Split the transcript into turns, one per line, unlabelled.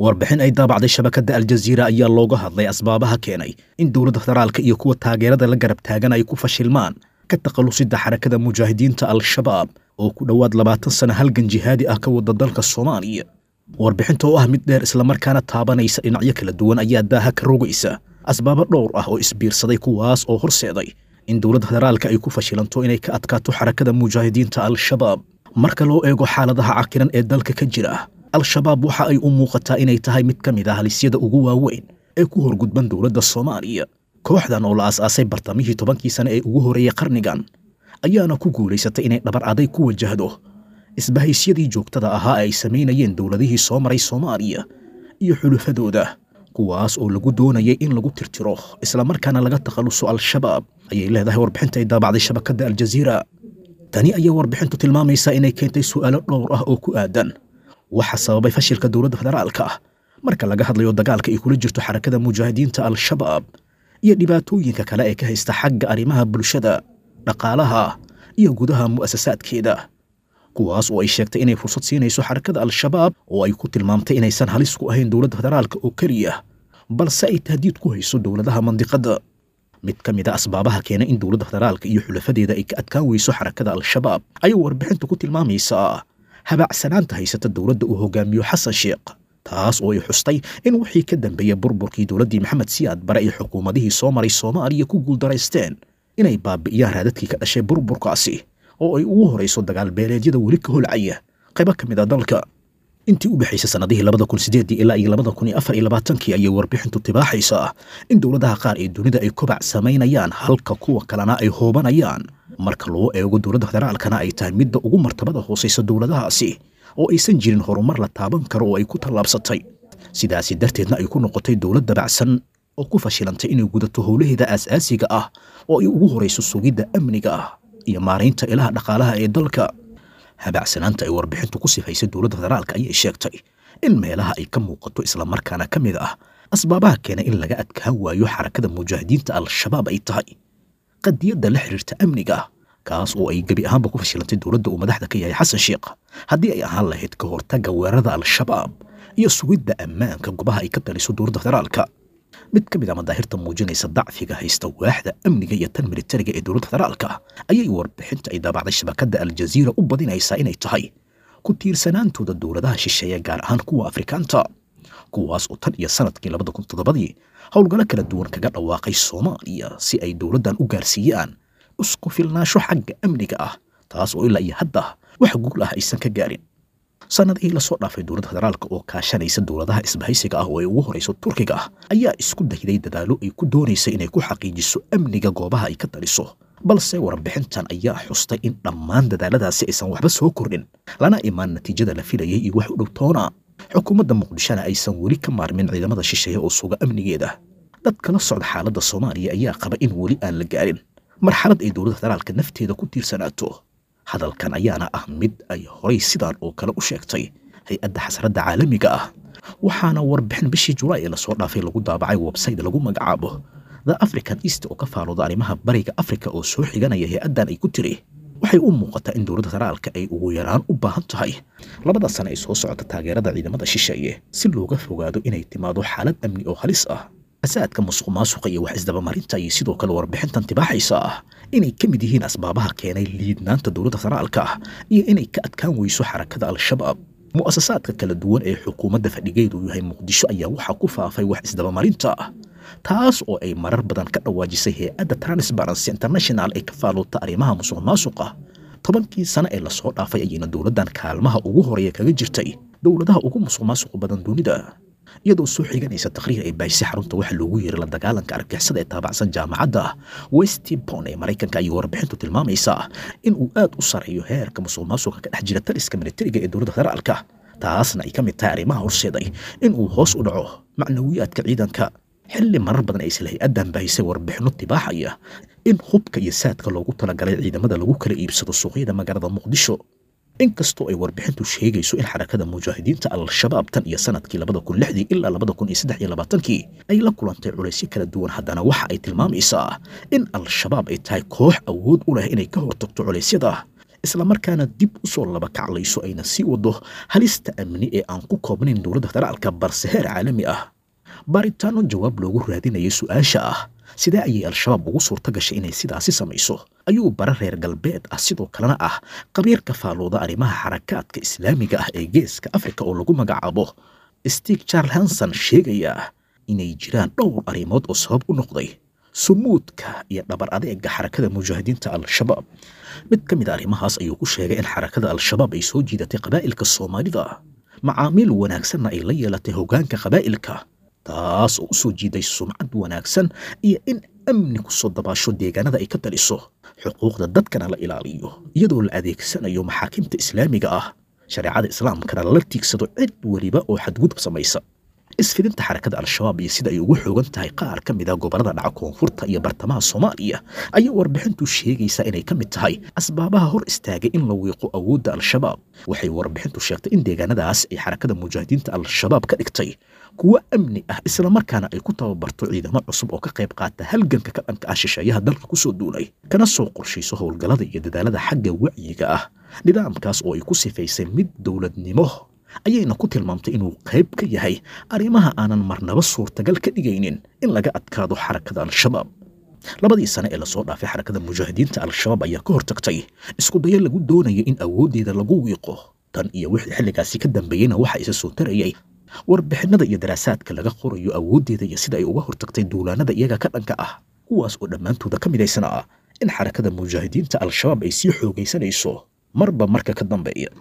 Warbixin ay daabacday shabakadda Aljaziira ayaa looga hadlay asbaabaha keenay in dowladda federaalka iyo kuwa taageerada la garab taagan ay ku fashilmaan ka takhalusidda Xarakada Mujaahidiinta Al-Shabaab oo ku dhowaad 20 sano halgan jihaadi ah ka wada dalka Soomaaliya. Warbixinta oo ah mid dheer islamarkaana taabanaysa dhinacyo kala duwan ayaa daaha ka rogaysa asbaabo dhowr ah oo isbiirsaday, kuwaas oo horseeday in dowladda federaalka ay ku fashilanto inay ka adkaato Xarakada Mujaahidiinta Al-Shabaab. Marka loo eego xaaladaha cakiran ee dalka ka jira, Al-Shabaab waxa ay u muuqataa inay tahay mid ka mid ah halisyada ugu waaweyn ee ku horgudban dowladda Soomaaliya. Kooxdan oo la aas-aasay bartamihii 10kii sane ee ugu horreeyey qarnigan ayaana ku guulaysatay inay dhabar aday ku wajahdo isbahaysyadii joogtada ahaa ee ay samaynayeen dowladihii soo maray Soomaaliya iyo xulufadooda, kuwaas oo lagu doonayay in lagu tirtiro islamarkaana laga takhaluso Al-Shabaab, ayay leedahay warbixinta ay daabacday shabakadda Aljaziira. Tani ayaa warbixintu tilmaamaysaa inay keentay su'aalo dhowr ah oo ku aadan waxa sababay fashilka dowladda federaalka ah marka laga hadlayo dagaalka ay kula jirto Xarakada Mujaahidiinta Al-Shabaab iyo dhibaatooyinka kale ee ka haysta xagga arrimaha bulshada, dhaqaalaha iyo gudaha mu'asasaadkeeda, kuwaas oo ay sheegtay inay fursad siinayso Xarakada Al-Shabaab oo ay ku tilmaamtay inaysan halis ku ahayn dowladda federaalka oo keliya, balse ay tahdiid ku hayso dowladaha mandiqadda. Mid ka mid a asbaabaha keena in dowladda federaalka iyo xulafadeeda ay ka adkaan weyso Xarakada Al-Shabaab ayuu warbixintu ku tilmaamaysaa habacsanaanta haysata dowladda uu hogaamiyo Xasan Sheekh, taas oo ay xustay in wixii ka dambeeyey burburkii dowladdii Maxamed Siyaad Bare ay xukuumadihii soo maray Soomaaliya ku guuldaraysteen inay baabi'iyaan raadadkii ka dhashay burburkaasi, oo ay ugu horayso dagaal beeleedyada weli ka holcaya qaybo ka mid a dalka. Intii u dhexaysay sannadihii 2008 ilaa iyo 2024kii ayay warbixintu tibaaxaysaa in dowladaha qaar ee dunida ay kobac samaynayaan halka kuwa kalena ay hoobanayaan, marka loo eego dowladda federaalkana ay tahay midda ugu martabada hoosaysa dowladahaasi oo aysan jirin horumar la taaban karo oo ay ku tallaabsatay, sidaasi darteedna ay ku noqotay dowlad dabacsan oo ku fashilantay inay gudato howlaheeda aas-aasiga ah oo ay ugu horayso sugidda amniga ah iyo maaraynta ilaha dhaqaalaha ee dalka. Habacsanaanta ay warbixintu ku sifaysay dowladda federaalka ayay sheegtay in meelaha ay ka muuqato islamarkaana ka mid ah asbaabaha keena in laga adkaan waayo Xarakada Mujaahidiinta Al-Shabaab ay tahay qadiyadda la xiriirta amniga, kaas oo ay gebi ahaanba ku fashilantay dowladda uu madaxda ka yahay Xasan Sheekh, haddii ay ahaan lahayd ka hortagga weerarada Al-Shabaab iyo sugidda ammaanka goobaha ay ka taliso dowladda federaalka. Mid ka mid a madaahirta muujinaysa dacfiga haysta waaxda amniga iyo tan militariga ee dowladda federaalka ayay warbixinta ay daabacday shabakadda Aljaziira u badinaysaa inay tahay ku tiirsanaantooda dowladaha shisheeye, gaar ahaan kuwa Afrikaanta, kuwaas oo tan iyo sanadkii 2007dii howlgallo kala duwan kaga dhawaaqay Soomaaliya si ay dowladdan u gaarsiiyaan isku filnaansho xagga amniga ah, taas oo ilaa iyo hadda wax guul ah aysan ka gaarin. Sannadihii lasoo dhaafay, dowladda federaalka oo kaashanaysa dowladaha isbahaysiga ah oo ay ugu horayso Turkiga ah ayaa isku dayday dadaallo ay ku doonaysa inay ku xaqiijiso amniga goobaha ay ka taliso, balse warbixintan ayaa xustay in dhammaan dadaaladaasi aysan waxba soo kordhin lana imaan natiijada la filayay iyo wax u dhow toona, xukuumadda Muqdishona aysan weli ka maarmin ciidamada shisheeye oo suga amnigeeda. Dad kala socda xaaladda Soomaaliya ayaa qaba in weli aan la gaarin marxalad ay dowladda federaalka nafteeda ku tiirsanaato. Hadalkan ayaana ah mid ay horay sidaan oo kale u sheegtay hay-adda xasradda caalamiga ah, waxaana warbixin bishii Julaay ee lasoo dhaafay lagu daabacay website lagu magacaabo The African East oo ka faalooda arrimaha Bariga Afrika oo soo xiganaya hay-addan ay ku tiri: waxay u muuqataa in dowladda federaalka ay ugu yaraan u baahan tahay 2da sane ay soo socota taageerada ciidamada shisheeye si looga fogaado inay timaado xaalad amni oo halis ah. Fasaadka, musuq maasuqa iyo wax isdabamarinta ayay sidoo kale warbixintan tibaaxaysa ah inay ka mid yihiin asbaabaha keenay liidnaanta dowladda federaalka ah iyo inay ka adkaan weyso Xarakada Al-Shabaab. Mu'asasaadka kala duwan ee xukuumadda fadhigeedu yahay Muqdisho ayaa waxaa ku faafay wax isdabamarinta ah, taas oo ay marar badan ka dhawaajisay hay-adda Transparency International ee ka faaluuta arrimaha musuq maasuqa. 10kii sano ee lasoo dhaafay ayayna dowladdan kaalmaha ugu horeeya kaga jirtay dowladaha ugu musuq maasuqa badan dunida. Iyadoo soo xiganaysa taqriir ay baahisay xarunta waxa loogu yeeray la dagaalanka argagixisada ee taabacsan jaamacadda Westpon ee Maraykanka ayay warbixintu tilmaamaysaa in uu aad u sareeyo heerka musuq maasuqa ka dhex jira taliska militariga ee dowladda federaalka, taasna ay ka mid tahay arrimaha horseeday in uu hoos u dhaco macnawiyaadka ciidanka, xilli marar badan ay isla hay-addan baahisay warbixinno tibaaxaya in hubka iyo saadka loogu talagalay ciidamada lagu kala iibsado suuqyada magaalada Muqdisho. Inkastoo ay warbixintu sheegayso in Xarakada Mujaahidiinta Al-Shabaab tan iyo sanadkii 2006dii ilaa 2023kii ay la kulantay culaysyo kala duwan, haddana waxa ay tilmaamaysaa in Al-Shabaab ay tahay koox awood u leh inay ka hortagto culaysyada islamarkaana dib u soo laba kaclayso, ayna sii wado halista amni ee aan ku koobnayn dowladda federaalka balse heer caalami ah. Baaritaano jawaab loogu raadinayay su-aasha ah sidee ayay Al-Shabaab ugu suurta gashay inay sidaasi samayso, ayuu bara reer galbeed ah sidoo kalena ah qabiirka faalooda arrimaha xarakaadka islaamiga ah ee Geeska Afrika oo lagu magacaabo Stig Charles Hanson sheegayaa inay jiraan dhowr arrimood oo sabab u noqday sumuudka iyo dhabar adeega Xarakada Mujaahidiinta Al-Shabaab. Mid ka mid a arrimahaas ayuu ku sheegay in Xarakada Al-Shabaab ay soo jiidatay qabaa'ilka Soomaalida, macaamiil wanaagsanna ay la yeelatay hoggaanka qabaa'ilka, taas oo u soo jiiday sumcad wanaagsan iyo in amni ku soo dabaasho deegaanada ay ka taliso, xuquuqda dadkana la ilaaliyo iyadoo la adeegsanayo maxaakimta islaamiga ah, shareecada islaamkana lala tiigsado cid weliba oo xadgudub samaysa. Isfidinta Xarakada Al-Shabaab iyo sida ay ugu xoogan tahay qaar ka mid a gobollada dhaca koonfurta iyo bartamaha Soomaaliya ayaa warbixintu sheegaysaa inay ka mid tahay asbaabaha hor istaagay in la wiiqo awoodda Al-Shabaab. Waxay warbixintu sheegtay in deegaanadaas ay Xarakada Mujaahidiinta Al-Shabaab ka dhigtay kuwo amni ah, islamarkaana ay ku tababarto ciidamo cusub oo ka qayb qaata halganka ka dhanka ah shisheeyaha dalka kusoo duulay, kana soo qorshayso howlgallada iyo dadaalada xagga wacyiga ah. Nidaamkaas oo ay ku sifaysay mid dowladnimo ayayna ku tilmaamtay inuu qayb ka yahay arrimaha aanan marnaba suurtagal ka dhigaynin in laga adkaado Xarakada Al-Shabaab. Labadii sane ee lasoo dhaafay, Xarakada Mujaahidiinta Al-Shabaab ayaa ka hortagtay isku dayo lagu doonayo in awooddeeda lagu wiiqo. Tan iyo wixii xilligaasi ka dambeeyeyna waxa isa soo tarayay warbixinada iyo daraasaadka laga qorayo awooddeeda iyo sida ay uga hortagtay duulaanada iyaga ka dhanka ah, kuwaas oo dhammaantooda ka midaysan ah in Xarakada Mujaahidiinta Al-Shabaab ay sii xoogaysanayso marba marka ka dambeeya.